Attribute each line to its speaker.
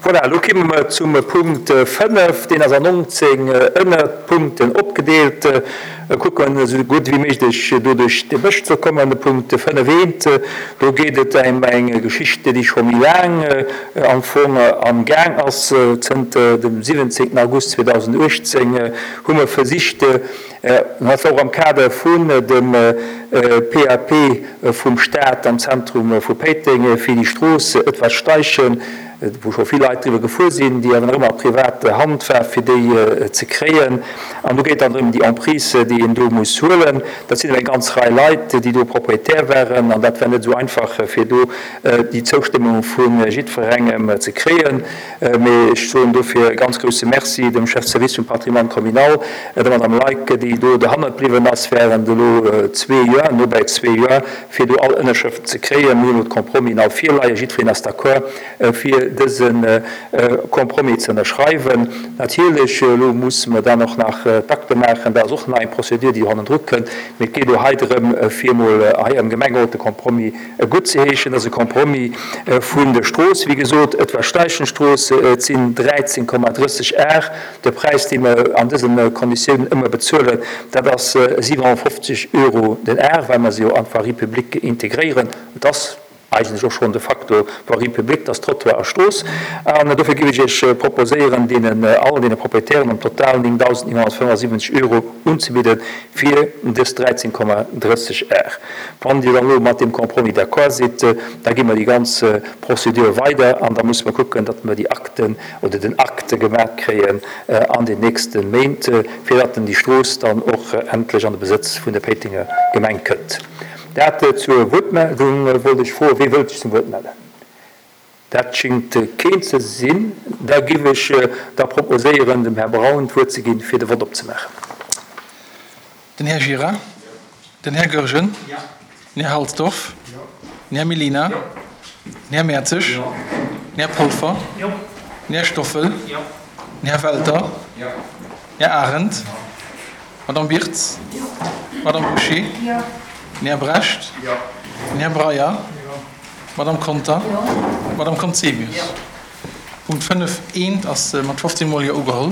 Speaker 1: Voilà, elo kimme mer zum Punkt 5, deen ass an 19 Ënnerpunkten opgedeelt. Kucken esou gutt ewéi méiglech do duerch de Bësch ze kommen. De Punkt 5 eent, do geet et èm eng Geschicht, déi scho méi laang am Fong am Gaang ass. Zënter dem 17 August 2018 hu mer versicht, Dat war och am Kader vun dem PAP vum Staat am Zentrum vu Péiteng, fir déi Strooss Edward Steichen, wou scho vill Leit driwwer gefuer sinn, déi awer nach ëmmer a privater Hand war, fir déi ze kréien. An do geet dann drëm, déi Emprise, déi een do muss huelen. Dat sinn awer eng ganz Rei Leit, déi do Propriétaire waren, an dat war net esou einfach, fir do déi Zoustëmmung vu jiddwerengem ze kréien. Mee ech soen dofir e ganz grousse Merci dem Chef de service vum Patrimoine communal, der Madame Leick, déi do derhannert bliwwen ass während elo zwee Joer, no bäi zwee Joer, fir do all Ënnerschrëften ze kréien. Mir hunn elo d'Compromisen all virleien. Jiddwereen ass d'accord, fir dëse Compromis ze ënnerschreiwen. Natierlech, elo musse mer dann och nach d'Akte maachen. Dat ass och nach eng Procédure, déi do hannendru kënnt. Mee et geet elo hei drëm, fir emol hei am Gemengerot de Compromis Guttzeheeschen ass e Compromis vun der Strooss. Wéi gesot, et war Steichenstrooss, et sinn 13,30 Ar. De Präis, dee mer an dësen Konditiounen ëmmer bezuelen, dat ass 57 Euro den Ar, well mer se jo an d'Voirie publique integréieren. Et ass eigentlech och schonn de facto Voirie publique, et ass Trottoir a Strooss. An dofir géif ech Iech proposéieren, deenen all deene Proprietären am Total 9.975 Euro unzebidden fir dës 13,30 Ar. Wann Dir dann elo mat deem Compromis d'accord sidd, da gi mer déi ganz Procédure weider an da musse mer kucken, datt mer déi Akten oder den Acte gemaach kréien an den nächste Méint, fir datt déi Strooss dann och endlech an de Besëtz vun der Péitenger Gemeng kënnt. Dat zur Wuertmeldung. Wollt ech froen, Wee wëllt sech zum Wuert mellen? Dat schéngt keen ze sinn. Da giff ech da proposéieren, dem Här Braun d'Wuert ze ginn, fir de Vott opzemaachen.
Speaker 2: Den Här Gira. Den Här Goergen. Den Här Halsdorf. Den Här Mellina. Den Här Mertzig. Den Här Polfer. Den Här Stoffel. Den Här Welter. Den Här Arendt. D'Madame Birtz. D'Madame Bouché. Den Här Brecht. Den Här Breyer. D'Madame Conter. D'Madame Conzemius. Punkt 5 eent ass mat 15 Mol Jo ugeholl.